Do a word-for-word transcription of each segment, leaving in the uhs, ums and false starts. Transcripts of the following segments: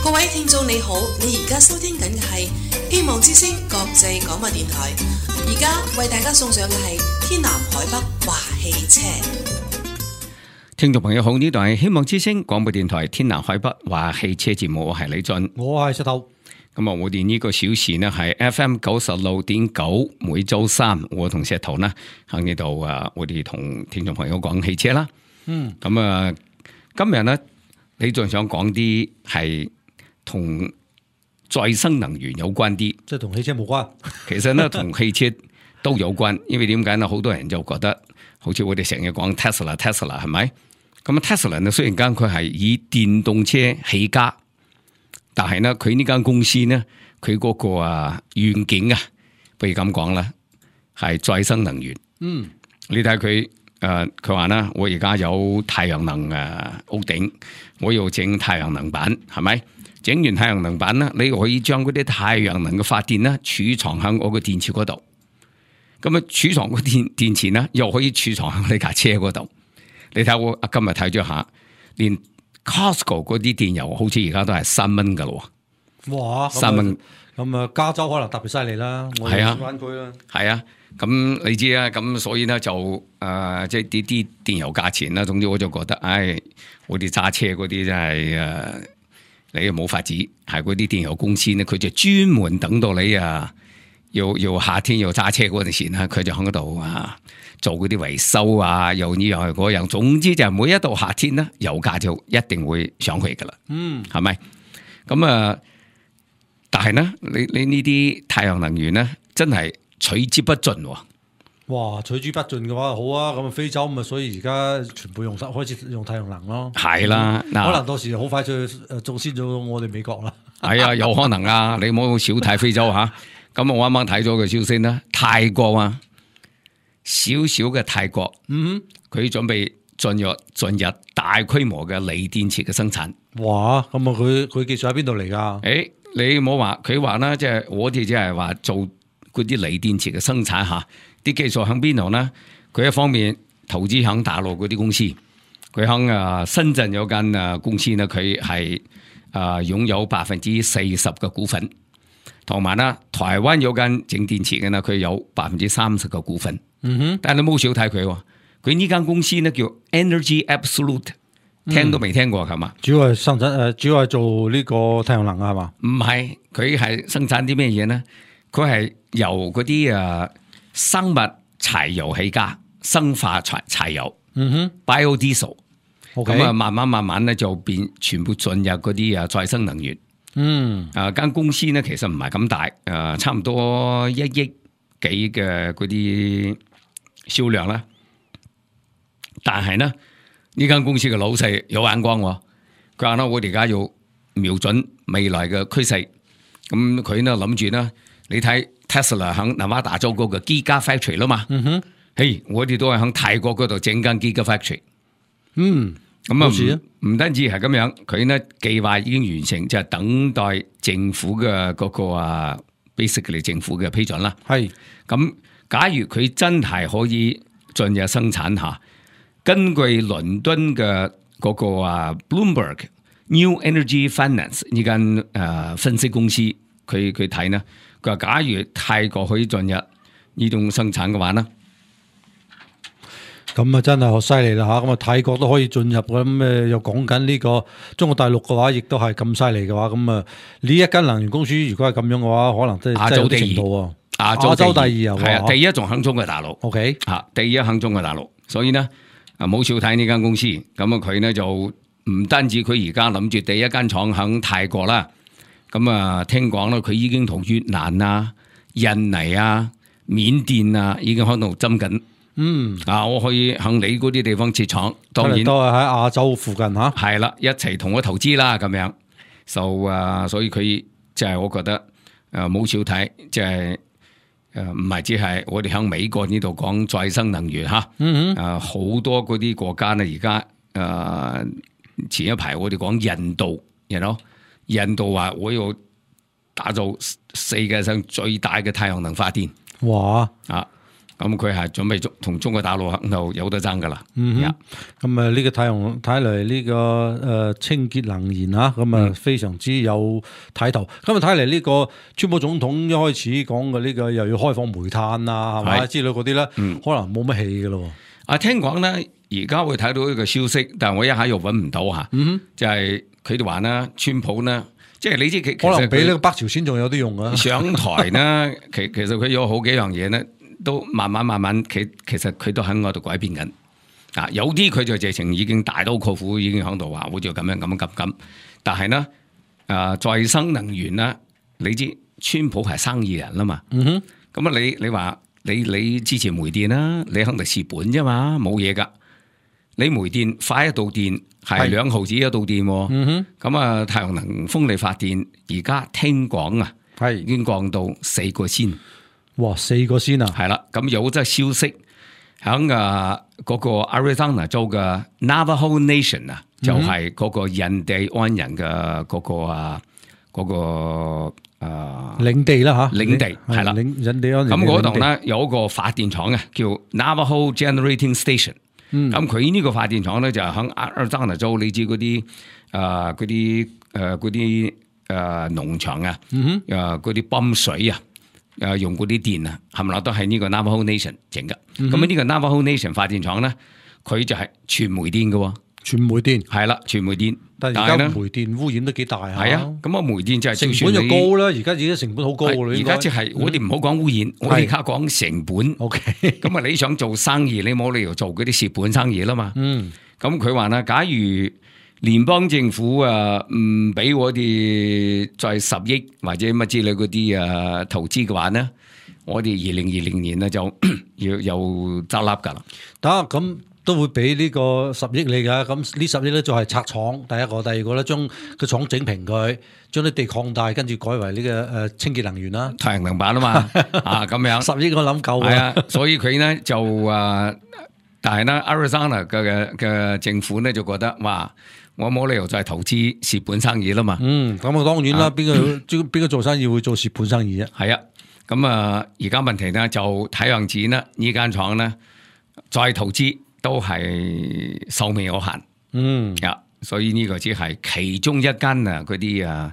各位聽眾你好，你而家收聽緊嘅係希望之聲國際廣播電台，而家為大家送上嘅係天南海北話汽車。聽眾朋友好，呢度係希望之聲廣播電台天南海北話汽車節目，我係李俊，我係石頭。咁啊，我哋呢個小時呢係 F M 九十六點九，每周三我同石頭呢喺呢度啊，我哋同聽眾朋友講汽車啦。嗯，咁啊，今日呢，李俊想講啲係同再生能源有關啲，即係同汽車冇關。其實呢，同汽車都有關，因為點解呢？好多人就覺得，好似我哋成日講 Tesla，Tesla 係咪？咁 Tesla 呢，雖然間佢係以電動車起家。但係呢，佢呢間公司呢，佢嗰個啊願景啊，不如咁講啦，係再生能源。嗯，你睇佢誒，佢話呢，我而家有太陽能誒屋頂，我要整太陽能板，係咪？整完太陽能板呢，你可以將嗰啲太陽能嘅發電呢儲藏喺我個電池嗰度。咁啊，儲藏個電電池呢，又可以儲藏喺你架車嗰度。你睇我今日睇咗下，連Costco 嗰啲電油好似而家都係三蚊噶咯，哇！三蚊咁啊，加州可能特別犀利啦，我哋灣區啦，係啊，咁你知啊，咁所以咧就誒，即係啲啲電油價錢啦。總之我就覺得，唉，我哋揸車嗰啲真係誒、呃，你又冇法子，係嗰啲電油公司咧，佢就專門等到你啊，要要夏天要揸車嗰陣時咧，佢就喺嗰度啊。做嗰啲維修啊，又呢樣嗰樣，總之就係每一到夏天咧，油價就一定會上去噶啦。嗯，係咪？咁啊，但係咧，你你呢啲太陽能源咧，真係取之不盡。哇，取之不盡嘅話，好啊！咁啊，非洲咁啊，所以而家全部用開始用太陽能咯。係啦，可能到時好快就誒做先咗我哋美國啦。係啊，有可能啊！你唔好小睇非洲吓。咁我啱啱睇咗個消息啦，泰國啊。小小嘅泰國，嗯，佢準備進入進入大規模嘅鋰電池嘅生產。哇！咁啊，佢佢技術喺邊度嚟噶？誒、欸，你冇話佢話啦，即係我哋即係話做嗰啲鋰電池嘅生產吓，啲技術喺邊度呢？佢一方面投資喺大陸嗰啲公司，佢喺啊深圳有間啊公司呢，佢係啊擁有百分之四十嘅股份，同埋呢台灣有間整電池嘅呢，佢有百分之三十嘅股份。嗯哼，但係你冇少睇佢，佢呢間公司呢叫 Energy Absolute， 聽都未聽過係嘛？主要係生產誒，主要係做呢個太陽能啊，係嘛？唔係，佢係生產啲咩嘢呢？佢係由嗰啲誒生物柴油起家，生化柴柴油，嗯哼 ，biodiesel， 咁啊，慢慢慢慢咧就變全部進入嗰啲啊再生能源。嗯，啊間公司呢其實唔係咁大，誒差唔多一億幾嘅嗰啲。銷量啦，但係呢呢間公司嘅老細有眼光，佢話咧我哋而家要瞄準未來嘅趨勢，咁佢呢諗住呢，你睇 Tesla 喺南華大州嗰個 Gigafactory 啦嘛，嗯哼，嘿，我哋都係喺泰國嗰度整間 Gigafactory，嗯，咁啊唔單止係咁樣，佢呢計劃已經完成，就係、是、等待政府嘅嗰、那個啊 basically 政府嘅批准啦，係咁。假如佢真係可以進入生產下，根據倫敦嘅嗰個啊 Bloomberg New Energy Finance 呢間誒分析公司，佢佢睇呢，佢話假如泰國可以進入呢種生產嘅話呢，咁啊真係好犀利啦吓！咁啊泰國都可以進入，咁誒又講緊呢個中國大陸嘅話，亦都係咁犀利嘅話，咁啊呢一間能源公司如果係咁樣嘅話，可能真係亞洲第二。亞洲，洲第二又係啊，第一仲響中國大陸。O K， 吓，第一響中國大陸，所以呢，啊冇少睇呢間公司。咁啊，佢呢就唔單止佢而家諗住第一間廠響泰國啦。咁啊，聽講咧，佢已經同越南啊、印尼啊、緬甸啊，已經喺度針緊。嗯，啊，我可以響你嗰啲地方設廠，當然都係喺亞洲附近吓。係啦，一齊同我投資啦，咁樣。就啊，所以佢就係我覺得誒冇少睇，即係。誒，唔係只係我哋喺美國呢度講再生能源吓，誒，好多嗰啲國家呢，而家誒前一排我哋講印度，you know，印度話我要打造世界上最大嘅太陽能發電，哇！啊，咁佢係準備同中國大陸肯定有得爭噶啦。嗯哼，咁啊呢個太陽睇嚟呢個誒、呃、清潔能源啊，咁啊非常之有睇頭。咁啊睇嚟呢個川普總統一開始講嘅呢個又要開放煤炭啊，係咪之類嗰啲咧，嗯、可能冇乜氣噶咯。啊，聽講咧，而家會睇到一個消息，但係我一下又揾唔到嚇，嗯、哼就係佢哋話咧，川普咧。即係你知佢可能比呢個北朝鮮仲有啲用啊！上台呢，其其實佢有好幾樣嘢咧，都慢慢慢慢，其其實佢都喺我度改變緊。啊，有啲佢就直情已經大刀闊斧，已經喺度話，好似咁樣咁咁咁。但係呢，啊再生能源啦，你知川普係生意人啦嘛。嗯哼。咁啊，你你話你你支持煤電啦，你肯定蝕本啫嘛，冇嘢噶。你煤電快一度電係兩毫子一度電，咁啊、嗯、太陽能風力發電而家聽講啊，係已經降到四個仙。哇，四個仙啊！係啦，咁有則消息響啊嗰個 Arizona 州嘅 Navajo Nation 啊，就係嗰個印第安人嘅嗰個啊嗰個啊領地啦吓，領地係啦，印第安人咁嗰度咧有一個發電廠啊，叫 Navajo Generating Station。咁佢呢個發電廠咧就係喺阿拉桑那州，你知嗰啲啊嗰啲誒嗰啲誒農場啊，誒嗰啲泵水啊，誒用嗰啲電啊，冚唪唥都係呢個 Navajo Nation 整噶。咁呢個 Navajo Nation 發電廠咧，佢就係全煤電嘅，全煤電係啦，全煤電。但係而家煤電污染都幾大啊！係啊，咁啊煤電就係成本就高啦。而家而家成本好高啦。而家即係我哋唔好講污染，我哋而家講成本。O K， 咁啊你想做生意，你冇理由做嗰啲蝕本生意啦嘛。嗯，咁佢話啦，假如聯邦政府啊唔俾我哋再十億或者乜之類嗰啲啊投資嘅話呢，我哋二零二零年呢就要又執笠噶啦。得咁。都會俾呢個十億你噶，咁呢十億咧就係拆廠，第一個，第二個咧將個廠整平佢，將啲地擴大，跟住改為呢個誒清潔能源啦，太陽能板啊嘛，啊咁樣，十億我諗夠係啊，所以佢咧就誒，但係咧 Arizona 嘅嘅政府咧就覺得哇，我冇理由再投資蝕本生意啦嘛，嗯，咁啊當然啦，邊個邊個做生意會做蝕本生意啫？係啊，咁啊而家問題咧就睇樣子啦，呢間廠咧再投資。都係壽命有限，嗯，啊，所以呢個只係其中一間啊，嗰啲啊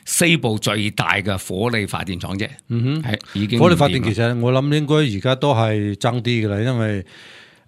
西部最大嘅火力發電廠啫，嗯哼，係已經火力發電其實我諗應該而家都係爭啲噶啦，因為誒、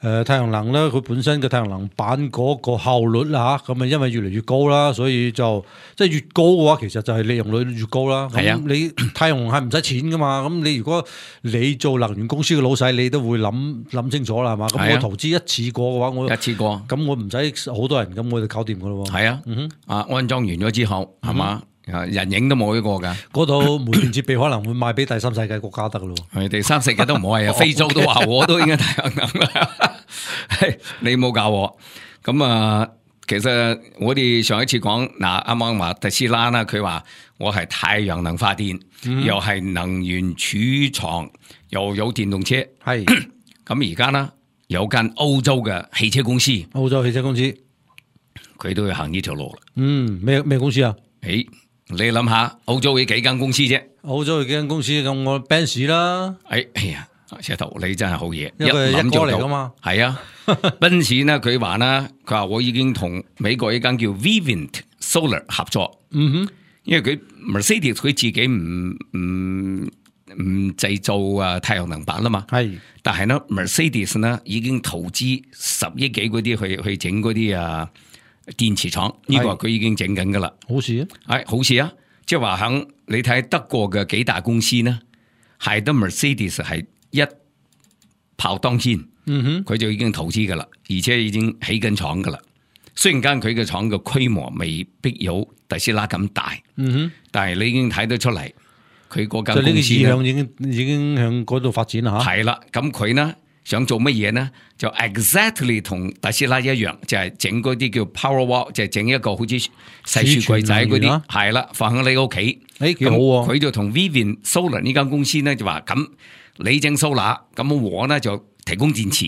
呃、太陽能咧，佢本身嘅太陽能板嗰個效率啦吓，咁啊因為越嚟越高啦，所以就即係越高嘅話，其實就係利用率越高啦。係啊，你太陽能係唔使錢噶嘛，咁你如果你做能源公司嘅老細，你都會諗諗清楚啦，係嘛？咁、啊、我投資一次過嘅話，我一次過，咁我唔使好多人，咁我就搞掂噶咯。係啊，嗯哼，啊安裝完咗之後，係嘛？啊，人影都冇一個噶，嗰度煤電設備可能會賣俾第三世界國家得噶咯。係第三世界都唔好係啊，非洲都話我都應該太陽能啦。你冇教我，咁啊，其實我哋上一次講嗱，啱啱話特斯拉啦，佢話我係太陽能發電，嗯、又係能源儲藏，又有電動車，係咁而家呢，有間歐洲嘅汽車公司，歐洲汽車公司，佢都要行呢條路啦。嗯，咩咩公司啊？誒。你諗下，歐洲有幾間公司啫？歐洲有幾間公司咁，我 Benz 啦。哎哎呀，石頭你真係好嘢，一諗就嚟噶嘛。係啊，Benz 呢佢話呢，佢話我已經同美國一間叫 Vivint Solar 合作。嗯哼，因為佢 Mercedes 佢自己唔唔唔製造啊太陽能板啦嘛。係，但係呢 Mercedes 呢已經投資十億幾嗰啲去去整嗰啲啊。電池廠呢、這個佢已經整緊噶啦，好事啊，係好事啊！即係話響你睇德國嘅幾大公司呢，係得 Mercedes 係一炮當先，嗯哼，佢就已經投資噶啦，而且已經起緊廠噶啦。雖然間佢嘅廠嘅規模未必有特斯拉咁大，嗯哼，但係你已經睇得出嚟，佢嗰間公司呢，就呢個意向已經已經向嗰度發展啦吓。係啦，咁佢呢？想做乜嘢呢？就 exactly 同特斯拉一樣，就係整嗰啲叫 Powerwall， 就係整一個好似細雪櫃仔嗰啲，係啦，放喺你屋企。誒，幾好喎！佢就同 Vivint Solar 呢間公司咧就話咁，你整 solar，咁我呢就提供電池。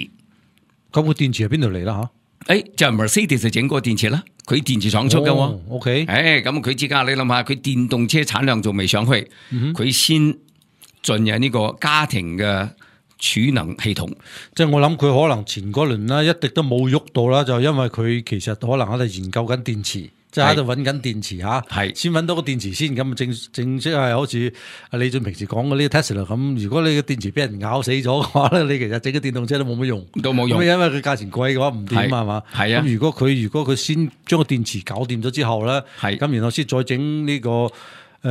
咁個電池係邊度嚟啦？吓，誒，就係 Mercedes 就整個電池啦，佢電池廠出嘅。哦 OK，誒，咁佢之間你諗下，佢電動車產量仲未上去，佢、嗯、先進入呢個家庭嘅。儲能系統。即係我諗佢可能前嗰輪啦，一滴都冇喐到啦，就因為佢其實可能喺度研究緊電池。即係喺度揾緊電池嚇，係先揾到個電池先，咁正正式係好似阿李俊平時講嘅呢個 Tesla 咁。如果你個電池俾人咬死咗嘅話咧，你其實整個電動車都冇乜用，都冇用。因為佢價錢貴嘅話唔掂啊嘛。係啊。咁如果佢如果佢先將個電池搞掂咗之後咧，係咁然後先再整呢個誒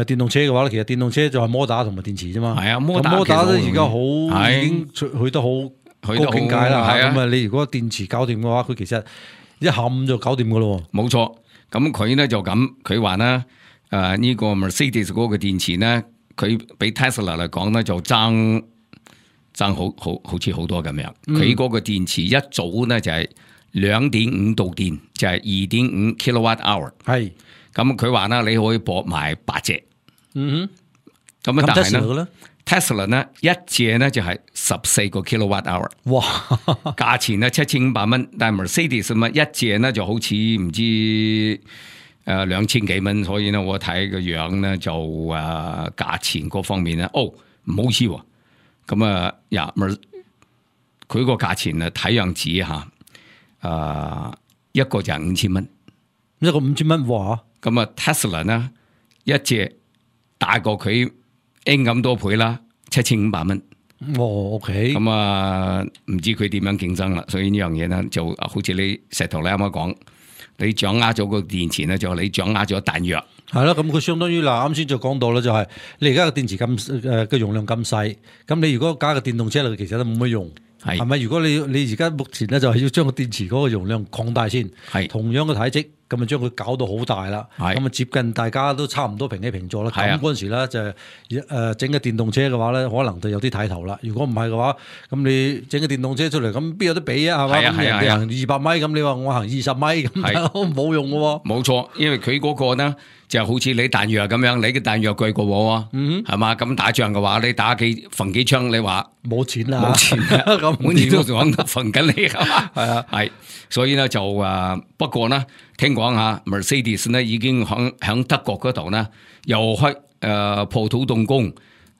電動車嘅話咧，其實電動車就係摩打同埋電池啫嘛。係啊，摩打摩打都而家好已經去得好高境界啦。咁啊，你如果電池搞掂嘅話，佢其實一下午就搞掂嘅咯。冇錯。咁佢咧就咁，佢話咧，誒、呃、呢、這個 Mercedes 嗰個電池咧，佢比 Tesla 嚟講咧就爭爭好好好似好多咁樣。佢嗰、嗯、個電池一早咧就係兩點五度電，就係二點五 kilowatt hour。係，咁佢話咧你可以駁埋八隻。嗯哼，咁啊但係咧 Tesla 咧一隻咧就係十四個 kilowatt hour。哇，價錢咧七千五百蚊，但係 Mercedes 咪一隻咧就好似唔知誒兩千幾蚊，所以咧我睇個樣咧就誒價、呃、錢嗰方面咧，哦唔好意思喎，咁啊呀，佢個價錢啊睇樣子吓，誒、呃、一個就係五千蚊，一個五千蚊哇，咁啊 Tesla 呢一隻大過佢 N 咁多倍啦，七千五百蚊。哦 ，OK。咁啊，唔知佢點樣競爭啦。所以呢樣嘢咧，就好似你石頭你啱啱講，你掌握咗個電池咧，就你掌握咗彈藥。係咯，咁佢相當於嗱，啱先就講到啦，就係你而家個電池咁誒嘅容量咁細，咁你如果加個電動車嚟，其實都冇乜用。係，係咪？如果你你而家目前咧就係要將個電池嗰個容量擴大先，係同樣嘅體積，咁啊將佢搞到好大啦，咁啊接近大家都差唔多平起平坐啦。咁嗰陣時咧就係誒整個電動車嘅話咧，可能就有啲睇頭啦。如果唔係嘅話，咁你整個電動車出嚟，咁邊有得比啊？係嘛？咁人哋行二百米，咁你話我行二十米，咁冇用嘅喎。冇錯，因為佢嗰個呢就好似你彈藥咁樣，你嘅彈藥貴過我喎，嗯，係嘛？咁打仗嘅話，你打幾逢幾槍，你話冇錢啦，冇錢啦，咁每年都講逢緊你係嘛？係啊，係，所以咧就誒，不過呢，聽講下 Mercedes 呢已經響響德國嗰度呢又開誒破土動工。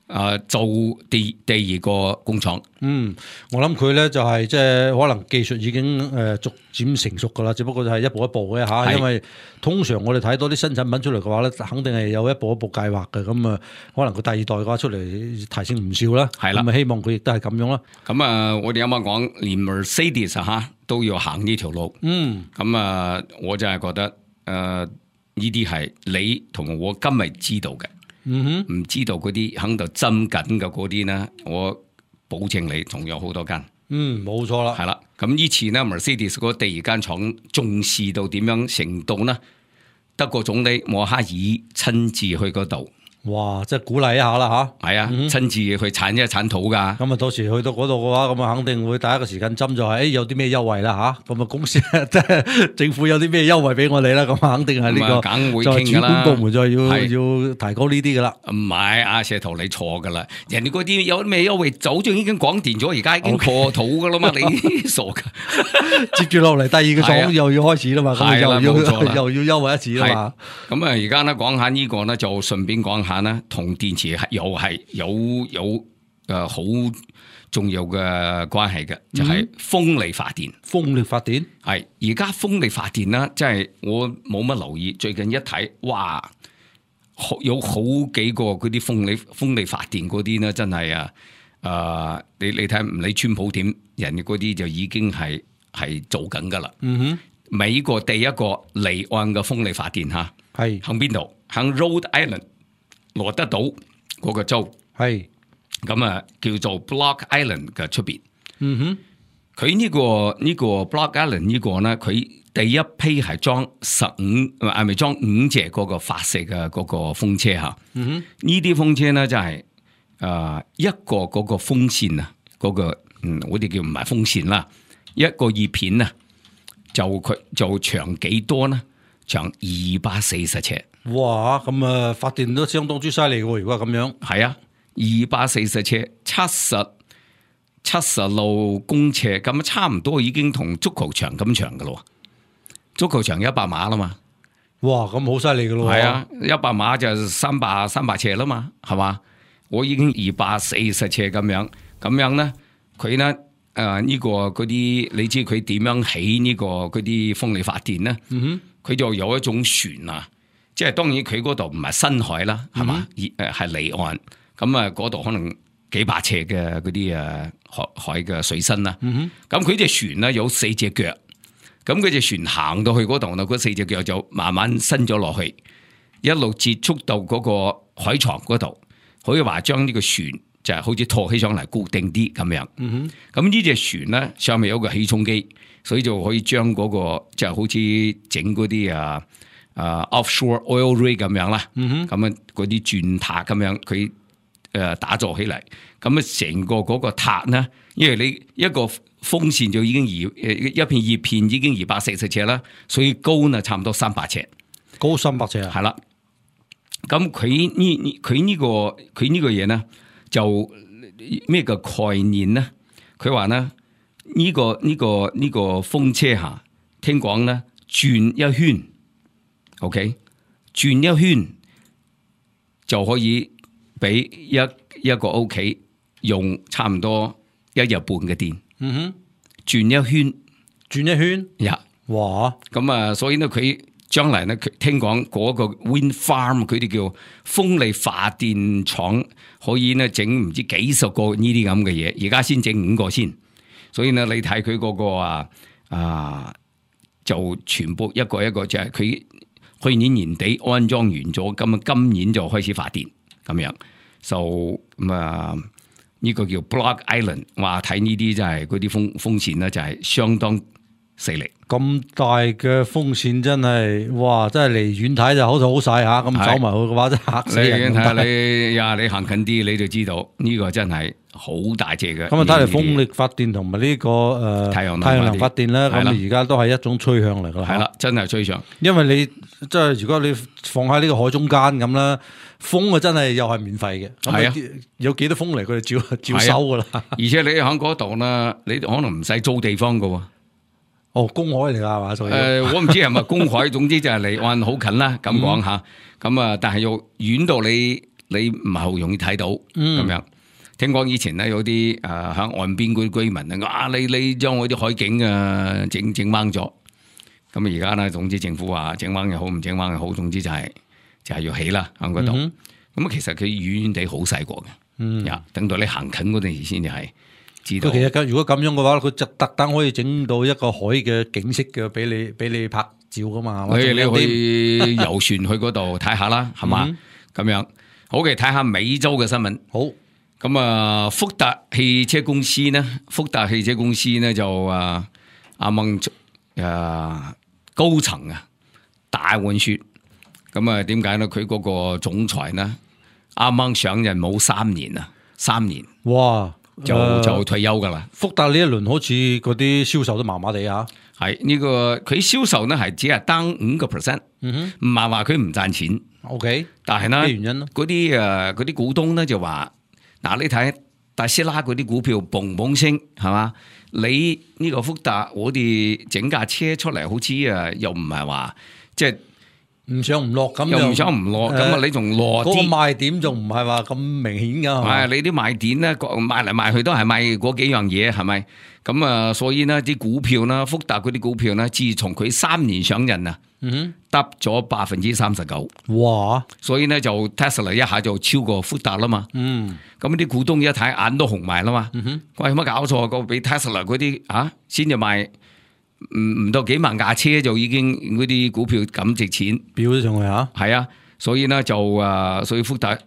誒，做第第二個工廠。嗯，我諗佢咧就係即係可能技術已經誒逐漸成熟噶啦，只不過就係一步一步嘅吓。因為通常我哋睇到啲新產品出嚟嘅話咧，肯定係有一步一步計劃嘅。咁啊，可能佢第二代嘅話出嚟提升唔少啦。係啦，咁啊希望佢亦都係咁樣啦。咁啊，我哋啱啱講連 Mercedes 吓都要行呢條路。嗯，咁啊，我就係覺得誒呢啲係你同我今日知道嘅。嗯哼，唔知道嗰啲喺度針緊嘅嗰啲咧，我保證你仲有好多間。嗯，冇錯啦。係啦，咁以前咧 Mercedes 嗰第二間廠重視到點樣程度呢？德國總理默克爾親自去嗰度。哇！即係鼓勵一下啦吓，係啊，親、嗯、自去鏟一鏟土噶。咁啊，到時去到嗰度嘅話，咁啊，肯定會第一個時間針就係、是，誒，有啲咩優惠啦吓。咁啊，公司即係政府有啲咩優惠俾我哋啦。咁啊，肯定係呢、這個，梗會就係主管部門就係要要提高呢啲噶啦。唔係，阿石頭你錯噶啦。人哋嗰啲有咩優惠，早就已經廣電咗，而家已經破土噶啦嘛。你傻噶？接住落嚟，第二個廠又要開始啦嘛。係啦，冇錯啦，又要優惠一次啦嘛。咁啊，而家咧講下呢個咧，就順便講下。同電池又係有有誒好重要嘅關係嘅，就係、是、風力發電。風力發電係而家風力發電啦，即係我冇乜留意。最近一睇，哇，有好幾個嗰啲風力風力發電嗰啲咧，真係啊誒，你你睇唔理川普點，人哋嗰啲就已經係係做緊噶啦。嗯哼，美國第一個離岸嘅風力發電吓，係響邊度？響 Rhode Island。羅德島嗰個州係咁啊，叫做 Block Island 嘅出邊。嗯哼，佢呢、這個呢、這個 Block Island 呢個咧，佢第一批係裝十五，係咪裝五隻嗰個發射嘅嗰個風車吓？嗯哼，呢啲風車咧就係、是、誒、呃、一個嗰個風扇啊，嗰、那個嗯我哋叫唔係風扇啦，一個葉片啊，就佢就長幾多呢？長二百四十尺。哇，咁啊發電都相當之犀利喎！如果咁樣，係啊，二百四十尺，七十七十六公尺，咁差唔多已經同足球場咁長噶咯。足球場一百碼啦嘛，哇，咁好犀利噶咯。係啊，一百碼就三百三百尺啦嘛，係嘛？我已經二百四十尺咁樣，咁樣咧，佢咧誒呢個嗰啲，你知佢點樣起呢個嗰啲風力發電咧？佢、嗯、就有一種船啊，即係當然佢嗰度唔係深海啦，係嘛？誒係離岸，咁啊嗰度可能幾百尺嘅嗰啲誒海海嘅水深啦。咁佢隻船咧有四隻腳，咁佢隻船行到去嗰度咧，嗰四隻腳就慢慢伸咗落去，一路接觸到嗰個海床嗰度，可以話將呢個船就係好似托起上嚟固定啲咁樣。咁呢隻船咧上面有個起重機，所以就可以將嗰、那個就係好似整嗰啲啊啊 offshore oil rig 咁樣啦。咁啊嗰啲鑽塔咁樣，佢誒打造起嚟。咁啊成個嗰個塔咧，因為你一個風扇就已經二誒一片葉片已經二百四十尺啦，所以高呢差唔多三百尺，高三百尺啊。係啦。咁佢呢佢呢個佢呢個嘢咧，就咩個概念咧？佢話咧呢個呢個呢個風車下，聽講咧轉一圈 ，OK， 轉一圈就可以俾一一個屋企用差唔多一日半嘅電。嗯哼，轉一圈，轉一圈，呀，哇！咁啊，所以咧佢。將來咧，聽講嗰個 wind farm 佢哋叫風力發電廠，可以咧整唔知幾十個呢啲咁嘅嘢，而家先整五個先。所以咧，你睇佢嗰個啊啊，就全部一個一個就係佢去年年底安裝完咗，咁啊今年就開始發電咁樣。就咁啊，呢個叫 Block Island， 話睇呢啲就係嗰啲風風扇咧，就係相當勢力。咁大嘅風扇真係，哇！真係離遠睇就好似好細下，咁走埋去嘅話真係嚇死人。你睇下你呀，你行近啲你就知道呢、這個真係好大隻嘅。咁啊，睇嚟風力發電同埋呢個誒、呃、太陽太陽能發電咧，咁而家都係一種趨向嚟㗎啦。係啦，真係趨向。因為你即係如果你放喺呢個海中間咁啦，風啊真係又係免費嘅。係啊，有幾多風嚟佢哋照照收㗎啦。而且你喺嗰度咧，你可能唔使租地方㗎喎。哦，公海嚟噶係嘛？誒、呃，我唔知係咪公海，總之就係離岸好近啦。咁講吓，咁啊，但係又遠到你，你唔係好容易睇到咁、嗯、樣。聽講以前咧有啲誒喺岸邊嗰啲居民啊，你你將我啲海景啊整整掹咗。咁而家咧，總之政府話整掹又好，唔整掹又好，總之就係、是、就係、是、要起啦喺嗰度。咁、嗯、其實佢遠遠地好細個嘅，嗯，等到你行近嗰陣時先至係。其實如果咁樣嘅話，佢就特登可以整到一個海嘅景色嘅，俾你俾你拍照噶嘛。你你可以遊船去嗰度睇下啦，係嘛？咁樣好嘅，睇下美洲嘅新聞。好，咁啊，福特汽車公司呢？福特汽車公司呢就啊啱啱誒高層啊大換血。咁啊，點解呢？佢嗰個總裁呢啱啱上任冇三年啊，三年哇！就就退休噶啦。福特呢一輪好似嗰啲銷售都麻麻地啊。係呢、這個佢銷售呢係只係單五個 percent， 唔係話佢唔賺錢。O K， 但係呢咩原因咯？嗰啲誒嗰啲股東呢就話，嗱你睇特斯拉嗰啲股票嘣嘣升係嘛？你呢個福特我哋整架車出嚟好似誒又唔係話即係。唔上唔落咁，又唔上唔落咁啊！你仲落啲，嗰個賣點仲唔係話咁明顯噶？係你啲賣點咧，賣嚟賣去都係賣嗰幾樣嘢，係咪？咁啊，所以呢啲股票啦，福特嗰啲股票咧，自從佢三年上任啊，嗯，得咗百分之三十九。哇！所以咧就 Tesla 一下就超過福特啦嘛。嗯，咁啲股東一睇眼都紅埋啦嘛。嗯哼，喂，有乜搞錯？個俾 Tesla 嗰啲啊，先至賣。唔唔到幾萬架車就已經嗰啲股票咁值錢，飆咗上去吓。係啊，所以咧就誒，所以福特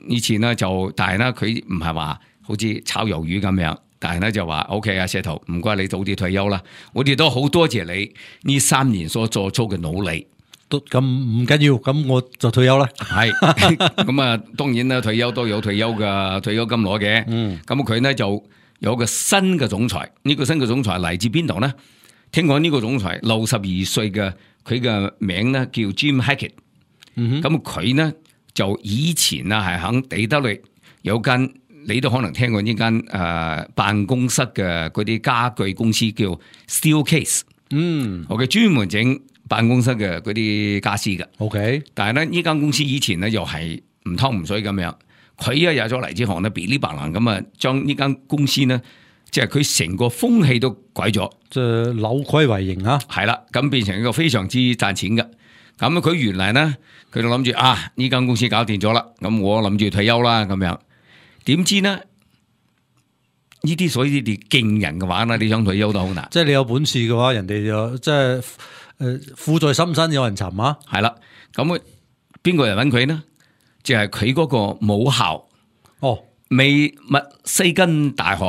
以前咧就，但係咧佢唔係話好似炒魷魚咁樣，但係咧就話 O K 啊，石頭唔該你早啲退休啦，我哋都好多謝你呢三年所做出嘅努力。都咁唔緊要，咁我就退休啦。係咁啊，當然啦，退休都有退休嘅退休金攞嘅。嗯，咁佢咧就有個新嘅總裁，呢個新嘅總裁嚟自邊度咧？聽講呢個總裁六十二歲嘅，佢嘅名咧叫 Jim Hackett。咁佢呢就以前啊係響底特律有間，你都可能聽過呢間誒辦公室嘅嗰啲家具公司叫 Steelcase。嗯，我嘅專門整辦公室嘅嗰啲家私嘅。OK， 但係咧呢間公司以前咧又係唔湯唔水咁樣，佢一有咗嚟之後呢，噼哩啪啦咁啊，將呢間公司呢即係佢成個風氣都改咗，即係扭虧為盈啊！係啦，咁變成一個非常之賺錢嘅。咁佢原來咧，佢就諗住啊，呢間公司搞掂咗啦，咁我諗住退休啦，咁樣。點知呢？呢啲所以啲勁人嘅話咧，你想退休都好難。即係你有本事嘅話，人哋就即係誒，富在深山有人尋啊！係啦，咁邊個人揾佢呢？就係佢嗰個母校哦，美密西根大學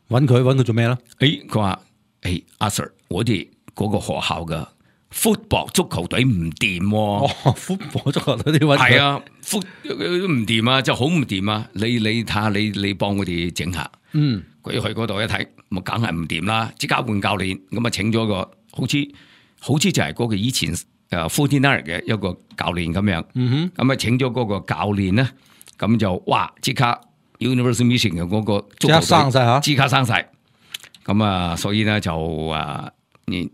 揾佢揾佢做咩咧？誒，佢話誒，阿 Sir，我哋嗰個學校嘅 football 足球隊唔掂。哦 football 足球隊啲揾佢係啊，foot 唔掂啊，就好唔掂啊！你你睇下，你你幫我哋整下。嗯，佢去嗰度一睇，咁梗係唔掂啦，即刻換教練，咁啊請咗個好似好似就係嗰個以前誒 forty-nine 嘅一個教練咁樣。嗯哼，咁啊請咗嗰個教練咧，咁就哇即刻 University Mission 嘅嗰個足球隊即刻生晒吓，即刻生晒。咁啊，所以咧就啊，你。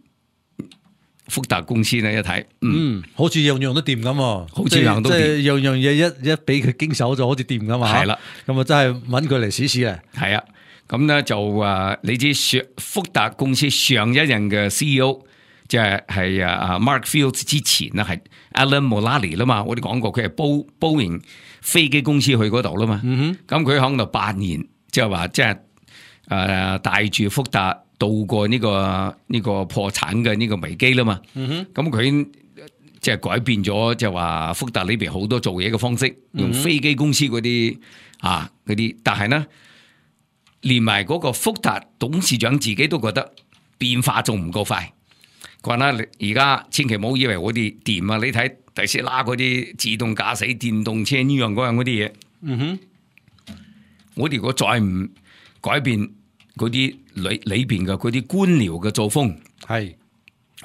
福特公司咧一睇，嗯，嗯好似樣樣都掂咁，好似樣都掂，即係樣樣嘢一一俾佢經手就好似掂咁嘛。係啦，咁啊真係揾佢嚟試試啊。係啊，咁咧就啊，你知上福特公司上一任嘅 C E O 即係係啊 Mark Fields 之前咧係 Alan Mulally 啦嘛，我哋講過佢係波波音飛機公司去嗰度啦嘛。嗯哼，咁佢喺度八年，即係話即係誒帶住福特。渡過呢、這個呢、這個破產嘅呢個危機啦嘛，咁佢即係改變咗，即係話福特呢邊好多做嘢嘅方式，用飛機公司嗰啲啊嗰啲，但係呢，連埋嗰個福特董事長自己都覺得變化仲唔夠快。佢話啦，而家千祈唔好以為我哋掂啊！你睇特斯拉嗰啲自動駕駛電動車呢樣嗰樣嗰啲嘢，嗯哼，我哋如果再唔改變。嗰啲裏裏邊嘅嗰啲官僚嘅作風，係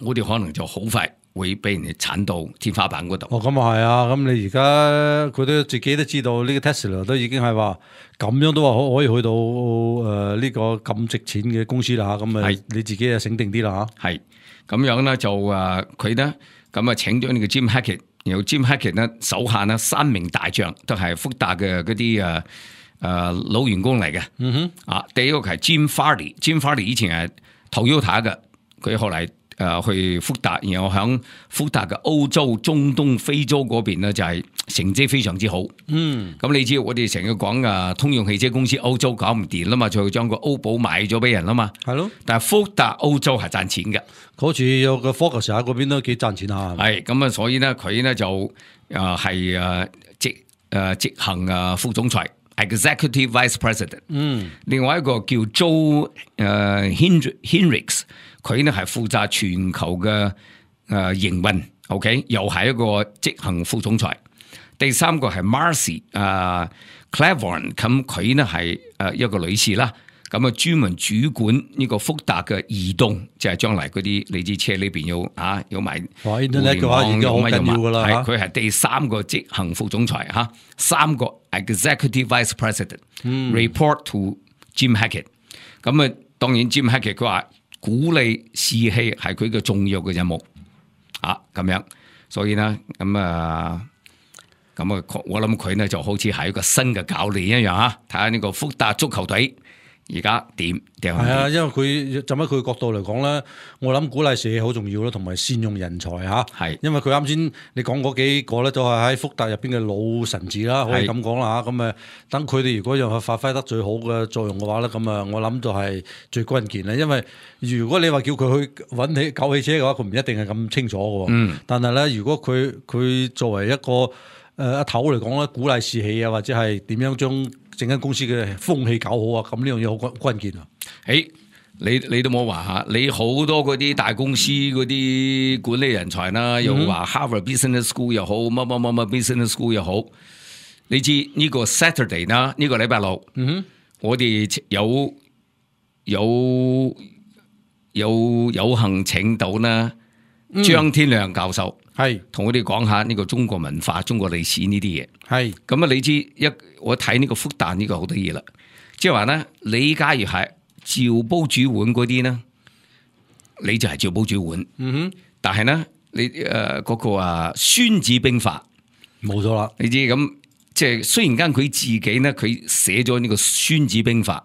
我哋可能就好快會俾人哋鏟到天花板嗰度。哦，咁啊係啊，咁你而家佢都自己都知道呢個 Tesla 都已經係話咁樣都話可可以去到誒呢、呃這個咁值錢嘅公司啦嚇，咁啊你自己啊醒定啲啦嚇。係咁樣咧就誒佢咧咁啊請咗呢個 Jim Hackett，然後 Jim Hackett 咧手下呢三名大將都係福特嘅嗰啲誒。誒、呃，老員工嚟嘅，嗯哼，啊，第一個係 Jim Farley，Jim Farley 以前係 Toyota 嘅，佢後嚟誒去福特，然後響福特嘅歐洲、中東、非洲嗰邊咧就係成績非常之好，嗯，咁你知我哋成日講啊，通用汽車公司歐洲搞唔掂啦嘛，就將個歐寶賣咗俾人啦嘛，係咯，但係福特歐洲係賺錢嘅，好似有個 Focus 喺嗰邊都幾賺錢下，係咁啊，所以咧佢咧就誒係誒執誒執行啊副總裁。Executive Vice President，嗯，另外一個叫 Joe 誒 Hendricks，佢呢係負責全球嘅誒營運 ，OK， 又係一個執行副總裁。第三個係 Marcy 誒 Cleveland，咁佢呢係誒一個女士啦，咁啊專門主管呢個福特嘅移動，即係將來嗰啲你知車裏邊要啊要買互聯網嘅話，而家好緊要噶啦，係佢係第三個執行副總裁吓，三個 Executive Vice President，report、嗯、to Jim Hackett。咁啊，當然 Jim Hackett 佢話鼓勵士氣係佢嘅重要嘅任務啊，咁樣，所以呢，咁啊，咁啊，我諗佢呢就好似係一個新嘅教練一樣吓，睇下呢個福特足球隊。而家點？係啊，因為佢就喺佢角度嚟講咧，我諗鼓勵士氣好重要咯，同埋善用人才嚇。係，因為佢啱先你講嗰幾個咧，都係喺福特入邊嘅老臣子啦，可以咁講啦嚇。咁誒，等佢哋如果讓佢發揮得最好嘅作用嘅話咧，咁啊，我諗就係最關鍵啦。因為如果你話叫佢去揾起救汽車嘅話，佢唔一定係咁清楚嘅。嗯。但係咧，如果佢佢作為一個誒阿頭嚟講咧，鼓勵士氣啊，或者係點樣將整間公司嘅風氣搞好啊，咁呢樣嘢好關關鍵啊！誒，你你都冇話吓，你好多嗰啲大公司嗰啲管理人才啦，又話 Harvard Business School 又好，乜乜乜乜 Business School 又好，你知呢個 Saturday 啦，呢個禮拜六，嗯哼，我哋有有有有幸請到啦張天亮教授。係同我哋講下呢個中國文化、中國歷史呢啲嘢。係咁啊！你知一我睇呢個復旦呢個好多嘢啦，即係話咧，你假如係照煲煮碗嗰啲咧，你就係照煲煮碗。嗯哼。但係咧，你誒嗰、呃那個啊《孫子兵法》冇咗啦。你知咁，即係雖然間佢自己咧，佢寫咗呢個《孫子兵法》，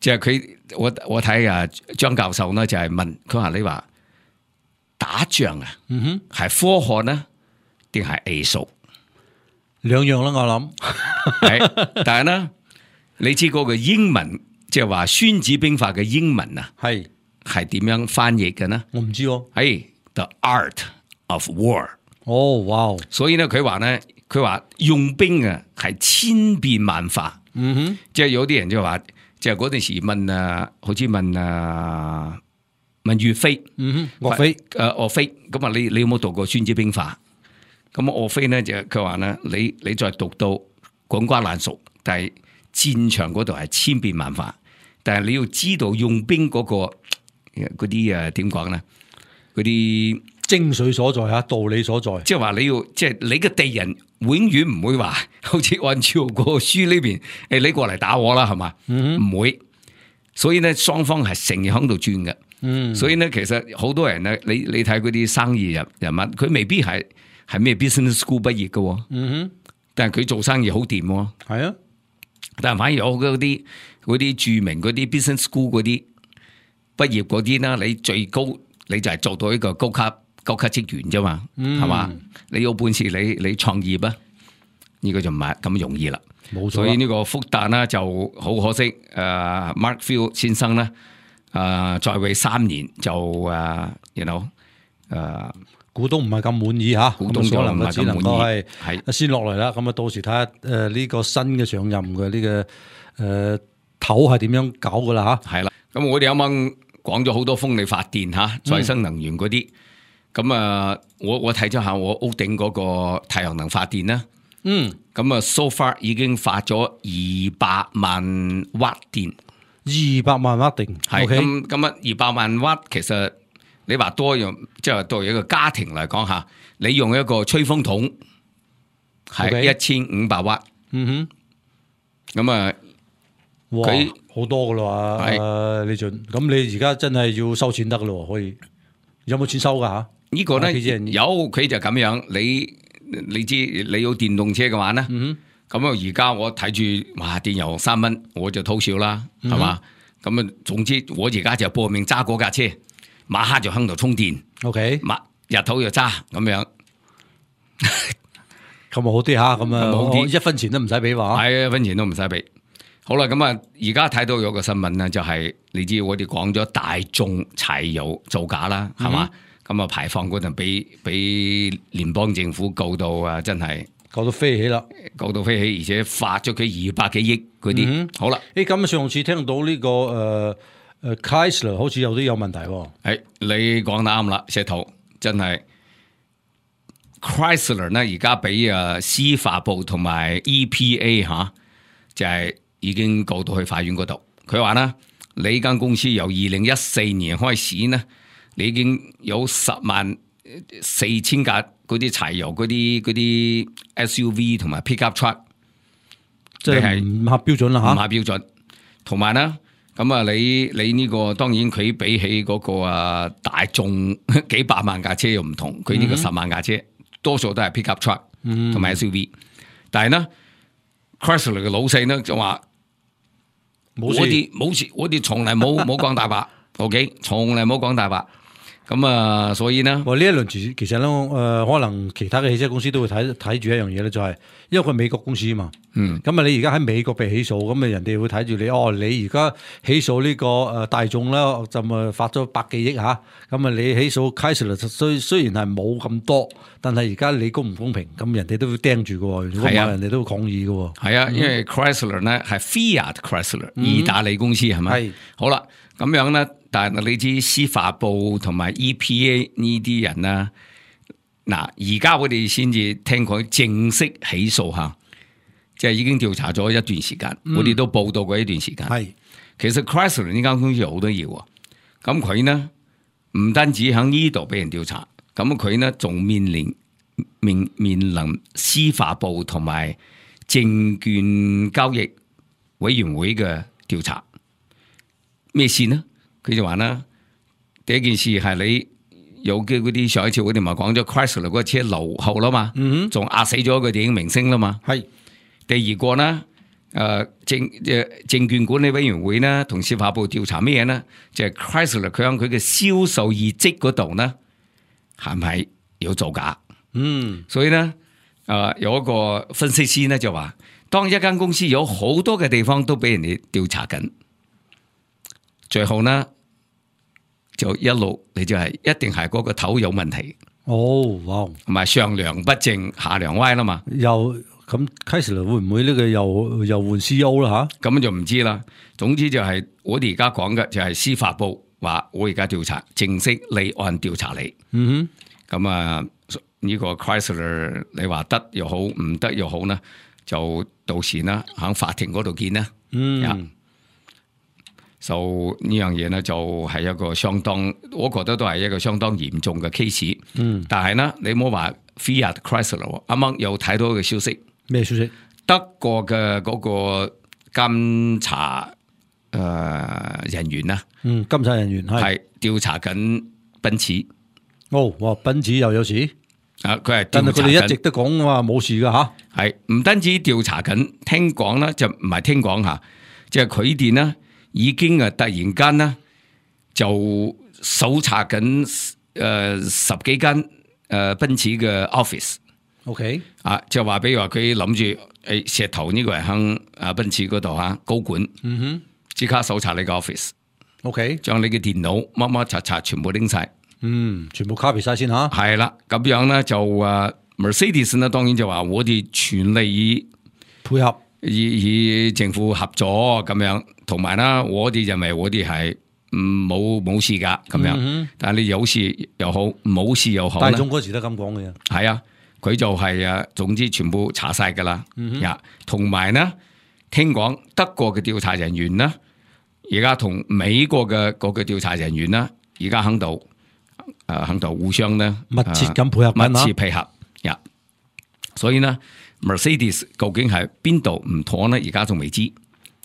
就係佢我我睇啊張教授呢就係問佢話你話打仗啊，嗯哼，係科學呢定係藝術？兩樣啦，我諗。係，但係呢，你知嗰個英文即係話《孫子兵法》嘅英文啊，係係點樣翻譯嘅呢？我唔知喎。係 The Art of War。哦，哇！所以呢，佢話呢，佢話用兵啊係千變萬化。嗯哼，即係有啲人就話，即係嗰陣時問啊，好似問啊問岳飛，嗯哼，岳飛，誒岳飛，咁啊你你有冇讀過《孫子兵法》？咁岳飛呢就佢話呢，你你再讀到滾瓜爛熟，但係戰場嗰度係千變萬化，但係你要知道用兵嗰、嗰個嗰啲誒點講呢？嗰啲精髓所在啊，道理所在，即係話你要，即係你嘅敵人永遠唔會話，好似按照個書呢邊，誒你過嚟打我啦，係嘛？唔、嗯、會，所以咧雙方係成日喺度轉嘅。嗯，所以咧其實好多人咧，你你睇嗰啲生意人人物，佢未必係係咩 business school 畢業嘅。嗯哼，但係佢做生意好掂。係啊，但係反而有嗰啲嗰啲著名嗰啲 business school 嗰啲畢業嗰啲啦，你最高你就係做到一個高級。高級職員啫嘛，係嘛、嗯？你有本事你你創業啊？呢、這個就唔係咁容易啦。冇錯，所以呢個復旦呢就好可惜。誒、呃、，Mark Field 先生咧，誒、呃、在位三年就誒，you know 誒，股東唔係咁滿意吓，股東就唔係咁滿意，係先落嚟啦。咁啊，到時睇下誒呢個新嘅上任嘅呢、這個誒頭係點樣搞噶啦吓。係啦，咁我哋啱啱講咗好多風力發電吓，再生能源嗰啲。嗯咁啊，我我睇咗下我屋頂嗰個太陽能發電啦，嗯，咁啊 so far 已經發咗二百萬瓦電，二百萬瓦電，係咁咁啊，二百萬瓦其實你話多用，即係對一個家庭嚟講吓，你用一個吹風筒係一千五百瓦，嗯哼，咁啊，佢好多噶啦，係李俊，咁你而家真係要收錢得噶咯，可以有冇錢收噶吓？呢個咧有佢就咁樣，你你知你有電動車嘅話咧，咁啊而家我睇住哇電油三蚊，我就偷笑啦，係嘛？咁啊，總之我而家就搏命揸嗰架車，晚黑就喺度充電，OK， 日頭就揸咁樣，咁啊好啲吓，咁啊好啲，一分錢都唔使俾話，係一分錢都唔使俾。好啦，咁啊而家睇到有個新聞咧，就係、是、你知我哋講咗大眾柴油造假啦，係嘛？咁啊排放嗰陣俾俾聯邦政府告到啊，真係告到飛起啦，告到飛起，而且罰咗佢二百幾億嗰啲。嗯、好啦，誒咁上次聽到呢、這個誒誒 Chrysler 好似有啲有問題喎。係你講得啱啦，石頭真係 Chrysler 咧，而家俾啊司法部同埋 E P A 吓、啊，就係、是、已經告到去法院嗰度。佢話咧，你間公司由二零一四年開始呢。你已經有十萬四千架嗰啲柴油嗰啲嗰啲 S U V 同埋 pickup truck， 即係唔合標準啦吓，唔合標準。同埋咧，咁啊，你你呢個當然佢比起嗰個啊大眾幾百萬架車又唔同，佢呢個十萬架車、嗯、多數都係 pickup truck 同埋 S U V、嗯。但係咧 Chrysler 嘅老細咧就話冇事，我哋冇事，我哋從來冇冇講大話，OK， 從來冇講大話。咁啊，所以呢，哇！呢一輪其實咧，誒、呃，可能其他嘅汽車公司都會睇睇住一樣嘢咧，就係因為佢係美國公司啊嘛。嗯。咁啊，你而家喺美國被起訴，咁啊，人哋會睇住你。哦，你而家起訴呢個誒大眾啦，就咪發咗百幾億吓。咁啊，你起訴 Chrysler 雖雖然係冇咁多，但係而家你公唔公平？咁人哋都會盯住嘅。如果唔係，人哋都會抗議嘅。係啊，因為 Chrysler 咧係 Fiat Chrysler，、嗯、意大利公司係咪？係。好啦，咁樣咧。但係你知司法部同埋 E P A 呢啲人啦，嗱而家我哋先至聽佢正式起訴吓，即係已經調查咗一段時間，嗯、我哋都報道過一段時間。係，其實 Chrysler 呢間公司有好多嘢喎，咁佢呢唔單止喺呢度俾人調查，咁佢呢仲面臨面面臨司法部同埋證券交易委員會嘅調查，咩事呢？佢就話啦，第一件事係你有嘅嗰啲上一次我哋咪講咗 Chrysler 嗰個車留後啦嘛，仲壓死咗個電影明星啦嘛。係第二個呢，誒證誒證券管理委員會呢，同司法部調查咩嘢呢？就係、是、Chrysler 佢喺佢嘅銷售業績嗰度呢，係咪有造假？嗯，所以呢，誒、呃、有一個分析師呢就話，當一間公司有好多嘅地方都俾人哋調查緊，最後呢就一路你就係一定係嗰個頭有問題。哦，哇，同埋上梁不正下梁歪啦嘛。又咁 Chrysler 會唔會呢個又又換 C E O 啦吓？咁就唔知啦。總之就係我哋而家講嘅就係司法部話我而家調查，正式立案調查你。嗯哼，咁啊呢個 Chrysler 你話得又好，唔得又好呢，就到時呢喺法庭嗰度見啦。嗯，就呢樣嘢呢，就係一個相當，我覺得都係一個相當嚴重嘅 case。嗯，但係呢，你唔好話 Fiat Chrysler，啱啱有睇到一個消息。咩消息？德國嘅嗰個監察誒、呃、人員啦，嗯，監察人員係調查緊奔馳。哦，哇，奔馳又有事？啊，佢係但係佢哋一直都講話冇事噶吓。係唔單止調查緊，聽講咧就唔係聽講吓，即係佢哋呢已經啊突然間呢就搜查緊誒、呃、十幾間誒奔馳嘅 office。OK， 啊，就話比如話佢諗住誒石頭呢個人喺啊奔馳嗰度吓高管，嗯哼，即刻搜查你個 office。OK， 將你嘅電腦乜乜查查全部拎晒。嗯，全部 copy 晒先吓。係啦，咁樣咧就誒 Mercedes 呢，當然就話我哋全力以配合，以以政府合作咁樣，同埋啦，我哋認為我哋係唔冇冇事噶咁樣，嗯、但係你有事又好，冇事又好。大眾嗰時都咁講嘅。係啊，佢就係啊，總之全部查晒噶啦。呀、嗯，同埋呢，聽講德國嘅調查人員呢，而家同美國嘅嗰個調查人員呢，而家喺度。誒，喺度互相咧密切咁配合，密切配合呀。所以呢 Mercedes 究竟係邊度唔妥呢？而家仲未知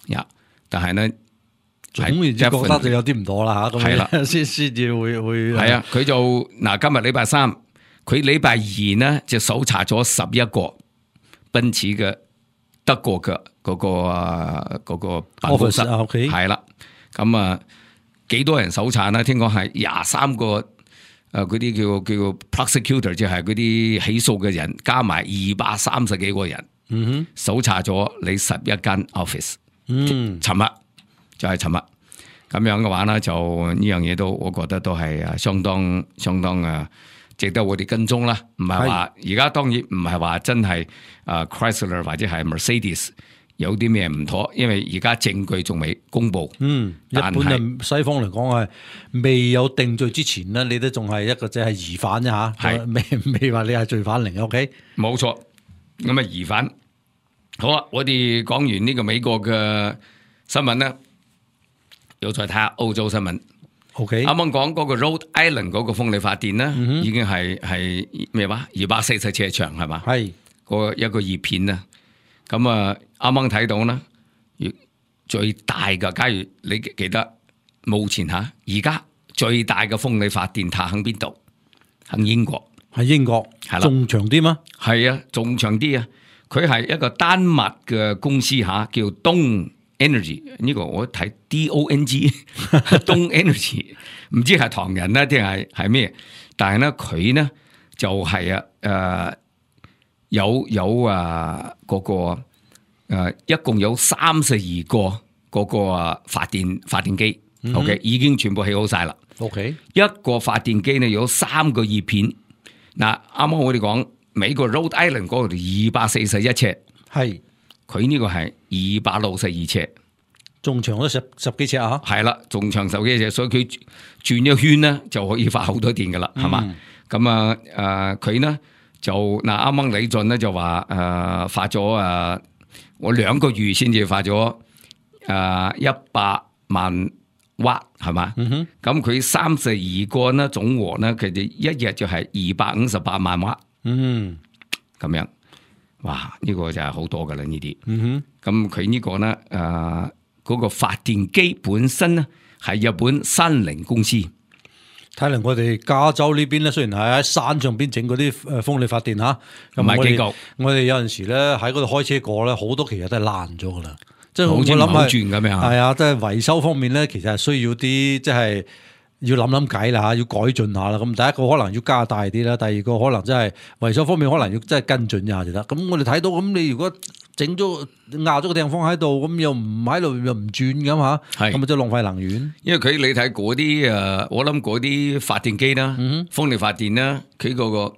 呀。但係呢，總然之覺得就有啲唔妥啦吓。係啦，先先至會會係啊。佢就嗱，今日禮拜三，佢禮拜二呢就搜查咗十一個奔馳嘅德國嘅嗰個啊嗰個辦公室。係啦，咁啊幾多人搜查呢？聽講係廿三個。誒，嗰啲叫叫 prosecutor， 即係嗰啲起訴嘅人，加埋二百三十幾個人，嗯哼，搜查咗你十一間 office，嗯，尋日就係尋日，咁樣嘅話咧，就呢樣嘢都，我覺得都係誒相當相當誒值得我哋跟蹤啦。唔係話而家當然唔係話真係誒 Chrysler 或者係 Mercedes。有啲咩唔妥？因為而家證據仲未公布。嗯，一般嘅西方嚟講係未有定罪之前咧，你都仲係一個即係疑犯啫吓，係未未話你係罪犯嚟嘅。O K， 冇錯。咁啊疑犯。好啊，我哋講完呢個美國嘅新聞咧，又再睇下澳洲新聞。O K， 啱啱講嗰個 Rhode Island 嗰個風力發電咧，嗯、已經係係咩話？二百四十尺長係嘛？係個一個葉片啊。咁啊，啱啱睇到啦，最大嘅，假如你記得，目前吓而家最大嘅風力發電塔喺邊度？喺英國，喺英國係啦，仲長啲嗎？係啊，仲長啲啊！佢係一個丹麥嘅公司吓，叫 Dong Energy。呢個我睇 D O N G Dong Energy， 唔知係唐人咧定係係咩？但係咧佢呢就係、是、啊誒。呃有有啊，嗰、那個誒、呃，一共有三十二個嗰個啊發電發電機、嗯、，OK， 已經全部起好晒啦。OK， 一個發電機呢有三個葉片。嗱，啱啱我哋講美國 Rhode Island 嗰度二百四十一尺，係佢呢個係二百六十二尺，仲長咗十十幾尺啊？係啦，仲長十幾尺，所以佢轉一圈呢就可以發好多電噶啦，係、嗯、嘛？咁啊誒，佢、呃、呢？就嗱，啱啱李俊咧就話誒、呃、發咗誒、呃，我兩個月先至發咗誒一百萬瓦係嘛？咁佢三十二個呢總和呢，佢哋一日就係二百五十八萬瓦。嗯，咁樣，哇！呢、這個就係好多噶啦呢啲。咁佢呢個呢誒嗰、呃那個發電機本身呢係日本三菱公司。睇嚟我哋加州呢邊咧，雖然係喺山上邊整嗰啲誒風力發電嚇，咁唔係幾夠。我哋有陣時咧喺嗰度開車過咧，好多其實都係爛咗噶啦。即係好我諗係轉咁樣。係啊，即係維修方面咧，其實係需要啲即係要諗諗計啦嚇，要改進下啦。咁第一個可能要加大啲啦，第二個可能真係維修方面可能要真係跟進一下就得。咁我哋睇到咁，你如果整咗壓咗個地方喺度，咁又唔喺度又唔轉咁嚇，咁咪即係浪費能源。因為佢你睇嗰啲誒，我諗嗰啲發電機啦，嗯、風力發電啦，佢嗰、嗰個誒、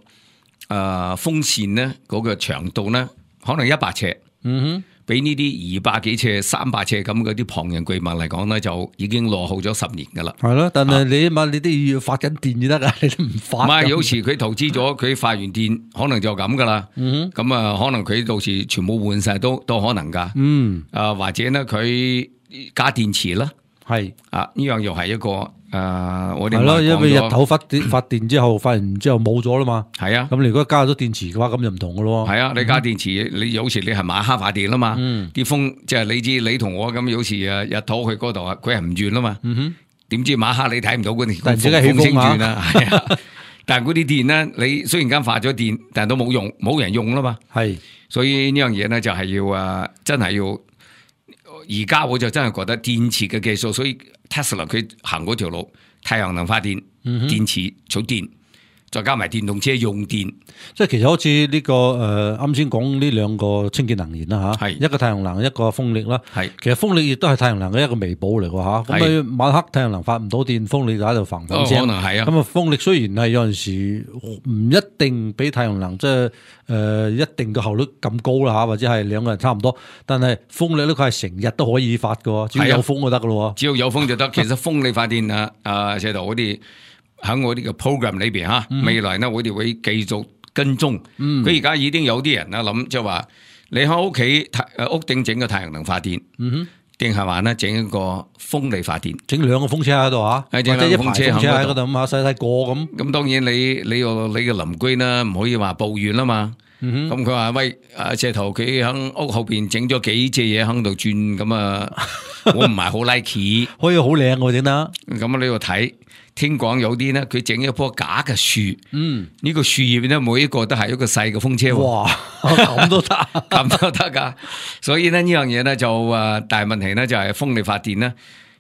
呃、風扇咧，嗰個長度咧，可能一百尺。嗯哼。比呢啲二百幾尺、三百尺咁嗰啲龐然巨物嚟講咧，就已經落後咗十年噶啦。係咯，但係你起碼你都要發緊電就得噶，你都唔發。唔係，有時佢投資咗，佢發完電可能就咁噶啦。嗯咁啊，可能佢到時全部換晒都都可能噶。嗯。啊，或者咧，佢加電池啦。係。啊，呢樣又係一個。誒、呃，我哋係咯，因為日頭發電發電之後，發完之後冇咗啦嘛。係啊，咁你如果加咗電池嘅話，咁就唔同噶咯。係啊，你加電池，嗯、你有時你係晚黑發電啦嘛。啲、嗯、風即係你知，你同我咁有時誒日頭去嗰度啊，佢係唔轉啦嘛。點、嗯、知晚黑你睇唔到嗰啲風風聲轉啦。係啊，但係嗰啲電咧，你雖然間發咗電，但係都冇用，冇人用啦嘛。係，所以呢樣嘢咧就係要誒，真係要。而家我就真係覺得電池嘅技術，所以 Tesla 佢行嗰條路，太陽能發電、嗯、電池儲電，再加埋電動車用電，即係其實好似呢、這個誒啱先講呢兩個清潔能源啦嚇，一個太陽能，一個風力啦。係其實風力亦都係太陽能嘅一個微寶嚟㗎嚇。咁你晚黑太陽能發唔到電，風力就喺度嘭嘭聲。可能係啊。咁啊風力雖然係有陣時唔一定比太陽能即係誒一定嘅效率咁高啦嚇，或者係兩個人差唔多，但係風力咧佢係成日都可以發㗎，只要有風就得㗎咯。只要有風就得。其實風力發電啊啊，社頭嗰啲。喺我呢個 program 裏邊吓，未來呢我哋會繼續跟蹤。佢而家已經有啲人啦諗，即係話你喺屋企誒屋頂整個太陽能發電，定係話呢整一個風力發電，整兩個風車喺度啊，或者一排風車喺嗰度咁啊，細細個咁。咁當然你你個你嘅鄰居呢唔可以話抱怨啦嘛。咁佢話喂，阿石頭佢喺屋後邊整咗幾隻嘢喺度轉，咁啊我唔係好 like， 可以好靚喎整得。咁啊你要睇。聽講有啲咧，佢整一棵假嘅樹，嗯，呢、這個樹葉咧，每一個都係一個細嘅風車。哇，咁都得，咁都得噶。所以咧呢樣嘢咧就誒，大問題咧就係風力發電咧，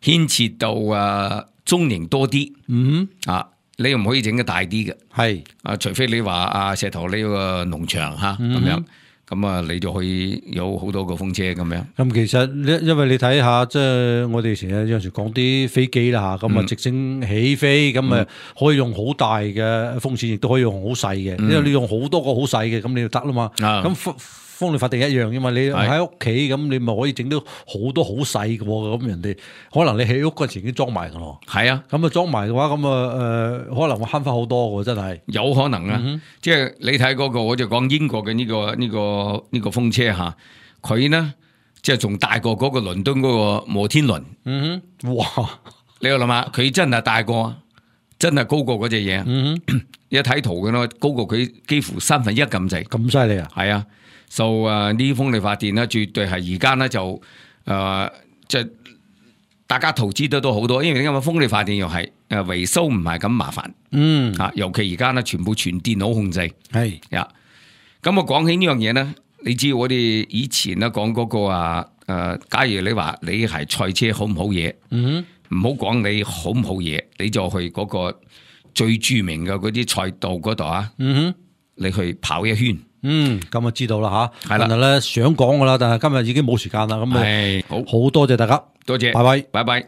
牽涉到誒中型多啲，嗯啊，你又唔可以整得大啲嘅，係啊，除非你話阿石頭呢個農場吓咁、嗯、樣。咁啊，你就可以有好多個風車咁樣。咁其實因因為你睇下，即係我哋成日有陣時講啲飛機啦嚇，咁啊直升起飛，咁啊可以用好大嘅風扇，亦都可以用好細嘅。因為你用好多個好細嘅，咁你就得啦嘛。咁風風力發電一樣嘅嘛，你喺屋企咁，你咪可以整到好多好細嘅喎。咁人哋可能你起屋嗰陣時已經裝埋嘅咯。係啊，咁啊裝埋嘅話，咁啊誒，可能會慳翻好多嘅，真係。有可能啊，嗯、即係你睇嗰、那個，我就講英國嘅呢、這個呢、這個呢、這個風車嚇，佢呢即係仲大過嗰個倫敦嗰個摩天輪。嗯哼，哇！你要諗下，佢真係大過，真係高過嗰隻嘢。嗯哼，一睇圖嘅咯，高過佢幾乎三分一咁滯。咁犀利啊！係啊。就誒呢啲風力發電咧，絕對係而家咧就誒即係大家投資得都好多，因為點解風力發電又係誒維修唔係咁麻煩，嗯嚇，尤其而家咧全部全電腦控制，係呀。咁我講起呢樣嘢咧，你知我哋以前咧講嗰個啊誒，假如你話你係賽車好唔好嘢，嗯，唔好講你好唔好嘢，你就去嗰個最著名嘅嗰啲賽道嗰度啊，嗯哼，你去跑一圈。嗯，咁啊知道啦吓，係啦，咧想講噶啦，但係今日已經冇時間啦，咁啊好，好多謝大家，多謝，拜拜，拜拜。